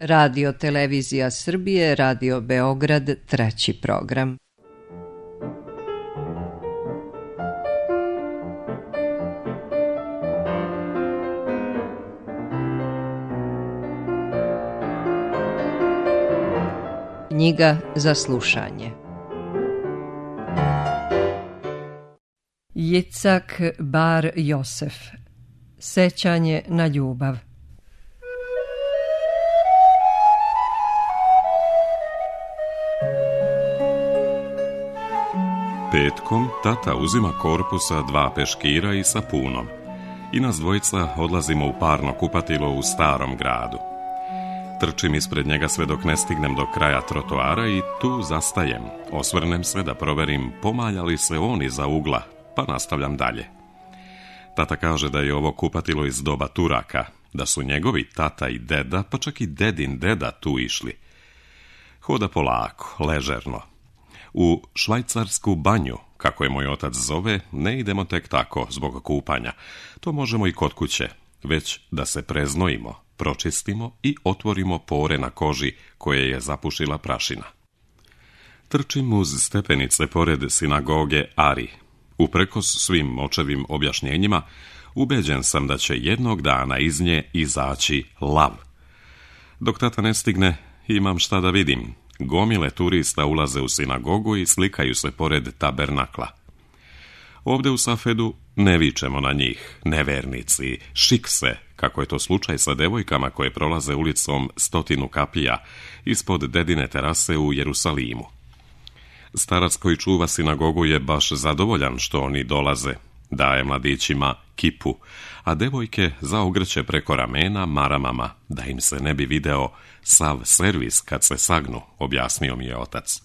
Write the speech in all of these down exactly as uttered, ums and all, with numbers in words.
Radio Televizija Srbije, Radio Beograd, treći program. Knjiga za slušanje. Jicak Bar Josef. Sećanje na ljubav. Petkom tata uzima korpusa dva peškira i sapunom i nas dvojica odlazimo u parno kupatilo u Starom gradu. Trčim ispred njega sve dok ne stignem do kraja trotoara i tu zastajem. Osvrnem se da proverim pomalja li se on iza ugla, pa nastavljam dalje. Tata kaže da je ovo kupatilo iz doba Turaka, da su njegovi tata i deda, pa čak i dedin deda tu išli. Hoda polako, ležerno. U švajcarsku banju, kako je moj otac zove, ne idemo tek tako zbog kupanja. To možemo i kod kuće, već da se preznojimo, pročistimo i otvorimo pore na koži koje je zapušila prašina. Trčim uz stepenice pored sinagoge Ari. Uprkos svim očevim objašnjenjima, ubeđen sam da će jednog dana iz nje izaći lav. Dok tata ne stigne, imam šta da vidim. Gomile turista ulaze u sinagogu i slikaju se pored tabernakla. Ovde u Safedu ne vičemo na njih, nevernici, šikse, kako je to slučaj sa devojkama koje prolaze ulicom Stotinu kapija ispod dedine terase u Jerusalimu. Starac koji čuva sinagogu je baš zadovoljan što oni dolaze, daje mladićima kipu, a devojke zaogrće preko ramena maramama, da im se ne bi video sav servis kad se sagnu, objasnio mi je otac.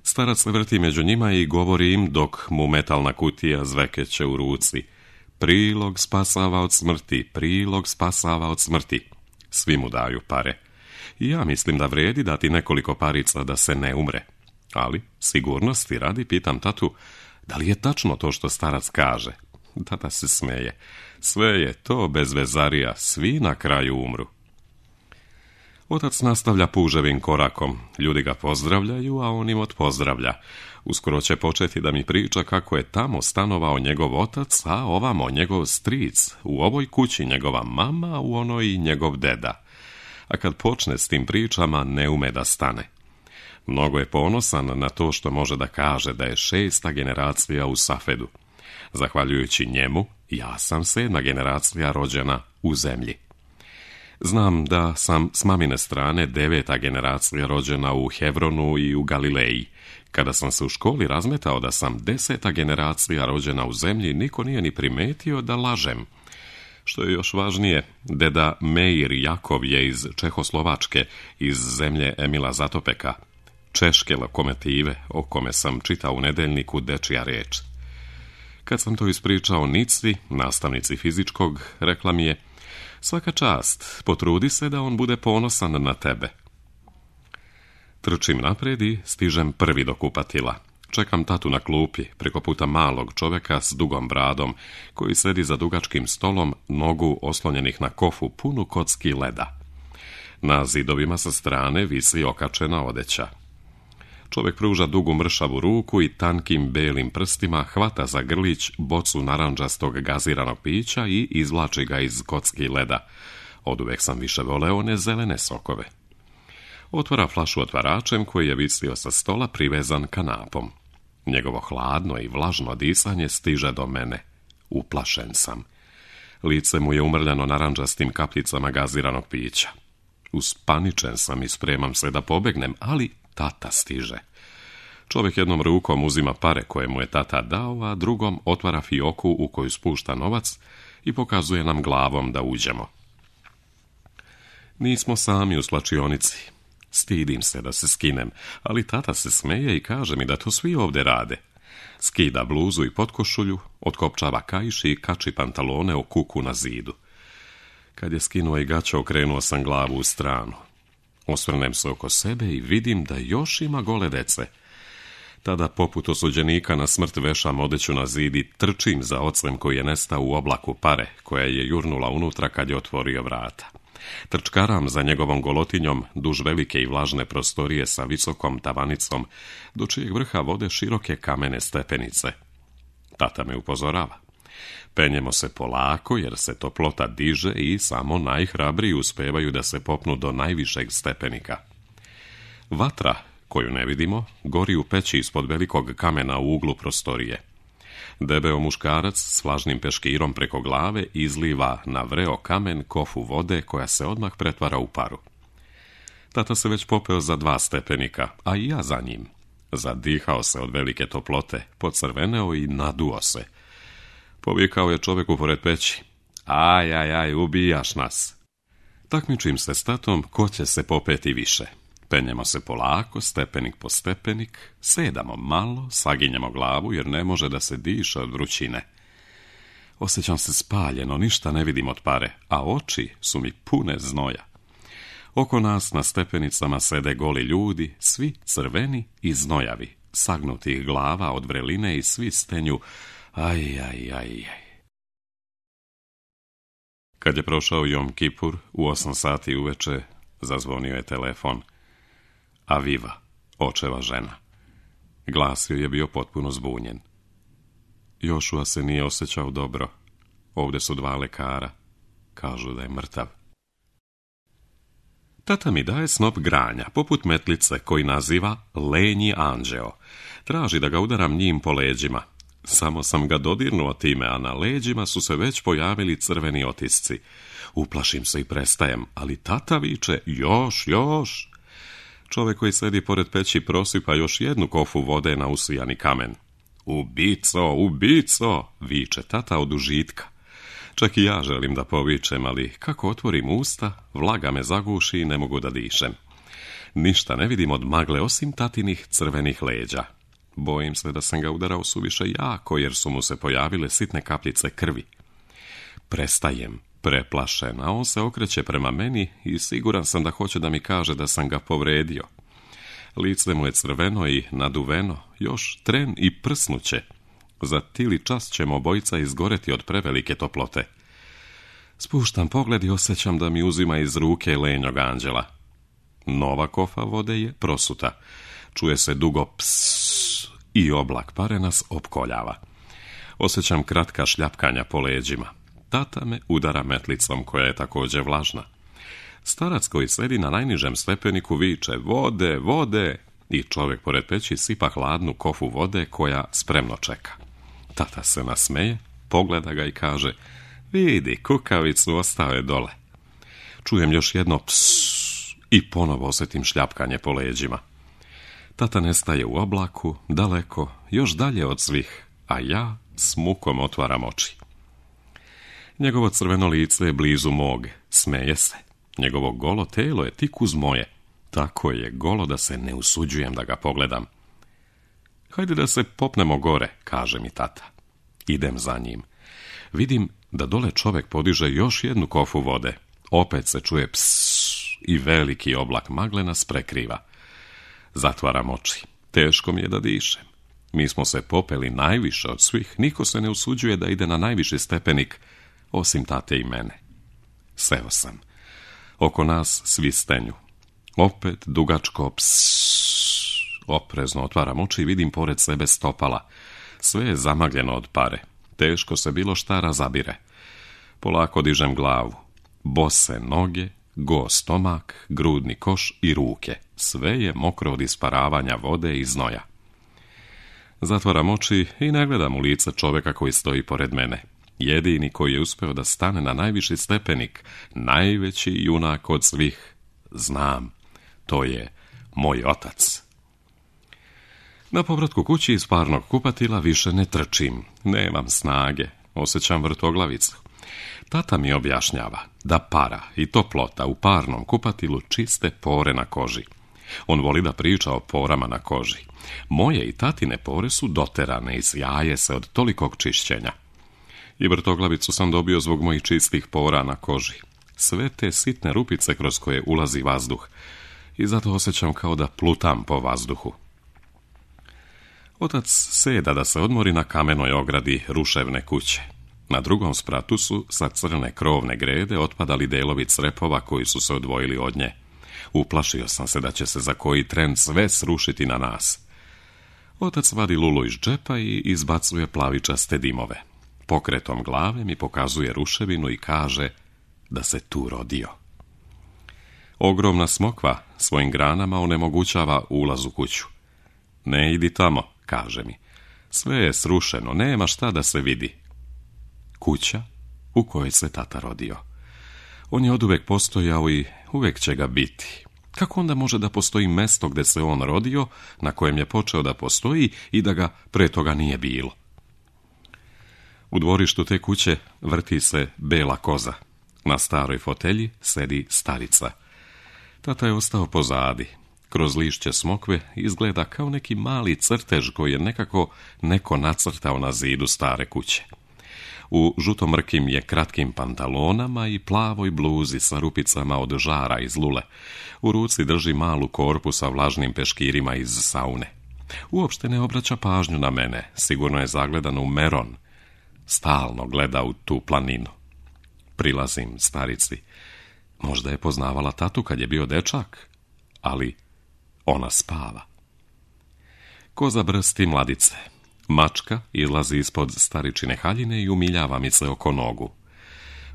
Starac se vrti među njima i govori im dok mu metalna kutija zvekeće u ruci. Prilog spasava od smrti, prilog spasava od smrti. Svi mu daju pare. I ja mislim da vredi dati nekoliko parica da se ne umre. Ali, sigurnosti radi, pitam tatu, da li je tačno to što starac kaže? Tata se smeje. Sve je to bez vezarija, svi na kraju umru. Otac nastavlja puževim korakom. Ljudi ga pozdravljaju, a on im odpozdravlja. Uskoro će početi da mi priča kako je tamo stanovao njegov otac, a ovamo njegov stric, u ovoj kući njegova mama, u onoj njegov deda. A kad počne s tim pričama, ne ume da stane. Mnogo je ponosan na to što može da kaže da je šesta generacija u Safedu. Zahvaljujući njemu, ja sam sedma generacija rođena u zemlji. Znam da sam s mamine strane deveta generacija rođena u Hevronu i u Galileji. Kada sam se u školi razmetao da sam deseta generacija rođena u zemlji, niko nije ni primetio da lažem. Što je još važnije, deda Meir Jakov je iz Čehoslovačke, iz zemlje Emila Zatopeka, češke lokomotive, o kome sam čitao u nedeljniku Dečija reč. Kad sam to ispričao Nici, nastavnici fizičkog, rekla mi je: svaka čast, potrudi se da on bude ponosan na tebe. Trčim napred i stižem prvi do kupatila. Čekam tatu na klupi, preko puta malog čoveka s dugom bradom, koji sedi za dugačkim stolom, nogu oslonjenih na kofu punu kocki leda. Na zidovima sa strane visi okačena odeća. Čovjek pruža dugu mršavu ruku i tankim belim prstima hvata za grlić bocu narandžastog gaziranog pića i izvlači ga iz kocki leda. Oduvek sam više voleo one zelene sokove. Otvara flašu otvaračem koji je visio sa stola privezan kanapom. Njegovo hladno i vlažno disanje stiže do mene. Uplašen sam. Lice mu je umrljano narandžastim kapljicama gaziranog pića. Uspaničen sam i spremam se da pobegnem, ali tata stiže. Čovjek jednom rukom uzima pare koje mu je tata dao, a drugom otvara fioku u koju spušta novac i pokazuje nam glavom da uđemo. Nismo sami u slačionici. Stidim se da se skinem, ali tata se smeje i kaže mi da to svi ovdje rade. Skida bluzu i potkošulju, otkopčava kaiš i kači pantalone o kuku na zidu. Kad je skinuo i gaća, okrenuo sam glavu u stranu. Osvrnem se oko sebe i vidim da još ima gole dece. Tada, poput osuđenika na smrt, vešam odeću na zid i trčim za ocem koji je nestao u oblaku pare, koja je jurnula unutra kad je otvorio vrata. Trčkaram za njegovom golotinjom duž velike i vlažne prostorije sa visokom tavanicom, do čijeg vrha vode široke kamene stepenice. Tata me upozorava. Penjemo se polako jer se toplota diže i samo najhrabriji uspevaju da se popnu do najvišeg stepenika. Vatra, koju ne vidimo, gori u peći ispod velikog kamena u uglu prostorije. Debeo muškarac s vlažnim peškirom preko glave izliva na vreo kamen kofu vode koja se odmah pretvara u paru. Tata se već popeo za dva stepenika, a i ja za njim. Zadihao se od velike toplote, pocrveneo i naduo se. Povikao je čoveku pored peći. Aj, aj, aj, ubijaš nas. Takmičim se s tatom ko će se popeti više. Penjemo se polako, stepenik po stepenik, sedamo malo, saginjemo glavu jer ne može da se diše od vrućine. Osjećam se spaljeno, ništa ne vidim od pare, a oči su mi pune znoja. Oko nas na stepenicama sede goli ljudi, svi crveni i znojavi, sagnutih glava od vreline i svi stenju aj, aj, aj, aj. Kad je prošao Jom Kipur, u osam sati uveče zazvonio je telefon. Aviva, očeva žena. Glas joj je bio potpuno zbunjen. Jošua se nije osjećao dobro. Ovdje su dva lekara. Kažu da je mrtav. Tata mi daje snop granja, poput metlice, koji naziva lenji anđeo. Traži da ga udaram njim po leđima. Samo sam ga dodirnuo time, a na leđima su se već pojavili crveni otisci. Uplašim se i prestajem, ali tata viče, još, još. Čovjek koji sedi pored peći prosipa još jednu kofu vode na usijani kamen. Ubico, ubico, viče tata od užitka. Čak i ja želim da povičem, ali kako otvorim usta, vlaga me zaguši i ne mogu da dišem. Ništa ne vidim od magle osim tatinih crvenih leđa. Bojim se da sam ga udarao suviše jako, jer su mu se pojavile sitne kapljice krvi. Prestajem, preplašen, a on se okreće prema meni i siguran sam da hoće da mi kaže da sam ga povredio. Lice mu je crveno i naduveno, još tren i prsnuće. Za tili čas ćemo obojica izgoreti od prevelike toplote. Spuštam pogled i osjećam da mi uzima iz ruke lenjog anđela. Nova kofa vode je prosuta. Čuje se dugo pss i oblak pare nas opkoljava. Osjećam kratka šljapkanja po leđima. Tata me udara metlicom koja je također vlažna. Starac koji sedi na najnižem stepeniku viče vode, vode i čovjek pored peći sipa hladnu kofu vode koja spremno čeka. Tata se nasmeje, pogleda ga i kaže vidi, kukavicu ostao je dole. Čujem još jedno pss i ponovo osjetim šljapkanje po leđima. Tata nestaje u oblaku, daleko, još dalje od svih, a ja s mukom otvaram oči. Njegovo crveno lice je blizu mog, smeje se. Njegovo golo telo je tik uz moje. Tako je golo da se ne usuđujem da ga pogledam. Hajde da se popnemo gore, kaže mi tata. Idem za njim. Vidim da dole čovjek podiže još jednu kofu vode. Opet se čuje pss i veliki oblak magle nas prekriva. Zatvaram oči. Teško mi je da dišem. Mi smo se popeli najviše od svih. Niko se ne usuđuje da ide na najviši stepenik, osim tate i mene. Seo sam. Oko nas svi stenju. Opet dugačko pss. Oprezno otvaram oči i vidim pored sebe stopala. Sve je zamagljeno od pare. Teško se bilo šta razabire. Polako dižem glavu. Bose noge, go stomak, grudni koš i ruke. Sve je mokro od isparavanja vode i znoja. Zatvaram oči i ne gledam u lice čovjeka koji stoji pored mene. Jedini koji je uspeo da stane na najviši stepenik, najveći junak od svih, znam, to je moj otac. Na povratku kući iz parnog kupatila više ne trčim, nemam snage, osjećam vrtoglavicu. Tata mi objašnjava da para i toplota u parnom kupatilu čiste pore na koži. On voli da priča o porama na koži. Moje i tatine pore su doterane i sjaje se od tolikog čišćenja. I vrtoglavicu sam dobio zbog mojih čistih pora na koži. Sve te sitne rupice kroz koje ulazi vazduh. I zato osjećam kao da plutam po vazduhu. Otac seda da se odmori na kamenoj ogradi ruševne kuće. Na drugom spratu su sa crne krovne grede otpadali delovi crepova koji su se odvojili od nje. Uplašio sam se da će se za koji tren sve srušiti na nas. Otac vadi lulu iz džepa i izbacuje plavičaste dimove. Pokretom glave mi pokazuje ruševinu i kaže da se tu rodio. Ogromna smokva svojim granama onemogućava ulaz u kuću. Ne idi tamo, kaže mi. Sve je srušeno, nema šta da se vidi. Kuća u kojoj se tata rodio. On je oduvek postojao i uvek će ga biti. Kako onda može da postoji mesto gde se on rodio, na kojem je počeo da postoji i da ga pre toga nije bilo? U dvorištu te kuće vrti se bela koza. Na staroj fotelji sedi starica. Tata je ostao pozadi. Kroz lišće smokve izgleda kao neki mali crtež koji je nekako neko nacrtao na zidu stare kuće. U žutomrkim je kratkim pantalonama i plavoj bluzi sa rupicama od žara iz lule. U ruci drži malu korpu sa vlažnim peškirima iz saune. Uopšte ne obraća pažnju na mene, sigurno je zagledan u meron. Stalno gleda u tu planinu. Prilazim starici. Možda je poznavala tatu kad je bio dečak, ali ona spava. Koza brsti mladice. Mačka izlazi ispod staričine haljine i umiljava mi se oko nogu.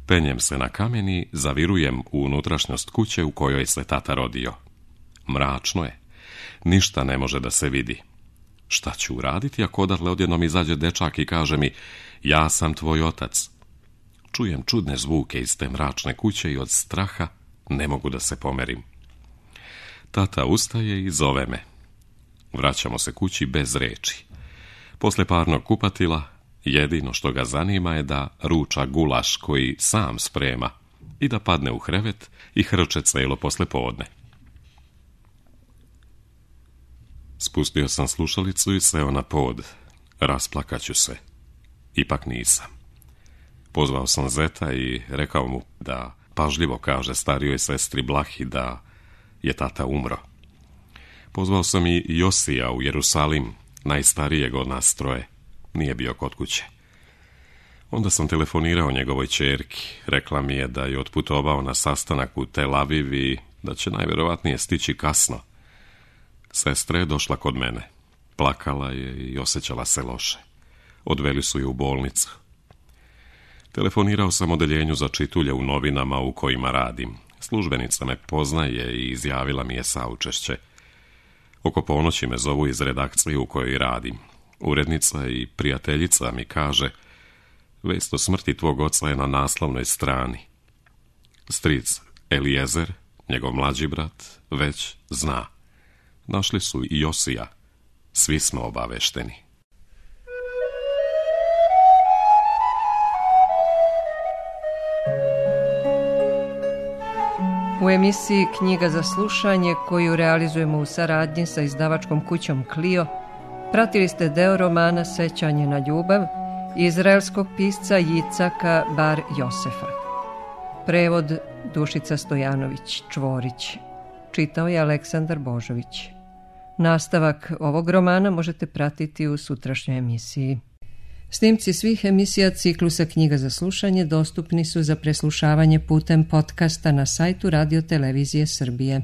Penjem se na kamen i zavirujem u unutrašnjost kuće u kojoj se tata rodio. Mračno je. Ništa ne može da se vidi. Šta ću uraditi ako odatle odjednom izađe dečak i kaže mi: ja sam tvoj otac? Čujem čudne zvuke iz te mračne kuće i od straha ne mogu da se pomerim. Tata ustaje i zove me. Vraćamo se kući bez reči. Posle parnog kupatila, jedino što ga zanima je da ruča gulaš koji sam sprema i da padne u krevet i hrče celo posle podne. Spustio sam slušalicu i seo na pod. Rasplakaću se. Ipak nisam. Pozvao sam zeta i rekao mu da pažljivo kaže starijoj sestri Blahi da je tata umro. Pozvao sam i Josija u Jerusalim, najstarijeg od nas troje. Nije bio kod kuće. Onda sam telefonirao njegovoj ćerki. Rekla mi je da je otputovao na sastanak u Tel Aviv i da će najverovatnije stići kasno. Sestra je došla kod mene. Plakala je i osjećala se loše. Odveli su je u bolnicu. Telefonirao sam odeljenju za čitulje u novinama u kojima radim. Službenica me poznaje i izjavila mi je saučešće. Oko ponoći me zovu iz redakcije u kojoj radim. Urednica i prijateljica mi kaže: vest o smrti tvog oca je na naslovnoj strani. Stric Elijezer, njegov mlađi brat, već zna. Našli su i Josija. Svi smo obavešteni. U emisiji Knjiga za slušanje, koju realizujemo u saradnji sa izdavačkom kućom Clio, pratili ste deo romana Sećanje na ljubav izraelskog pisca Jicaka Bar Josefa. Prevod Dušica Stojanović Čvorić. Čitao je Aleksandar Božović. Nastavak ovog romana možete pratiti u sutrašnjoj emisiji. Snimci svih emisija ciklusa Knjiga za slušanje dostupni su za preslušavanje putem podcasta na sajtu Radio Televizije Srbije.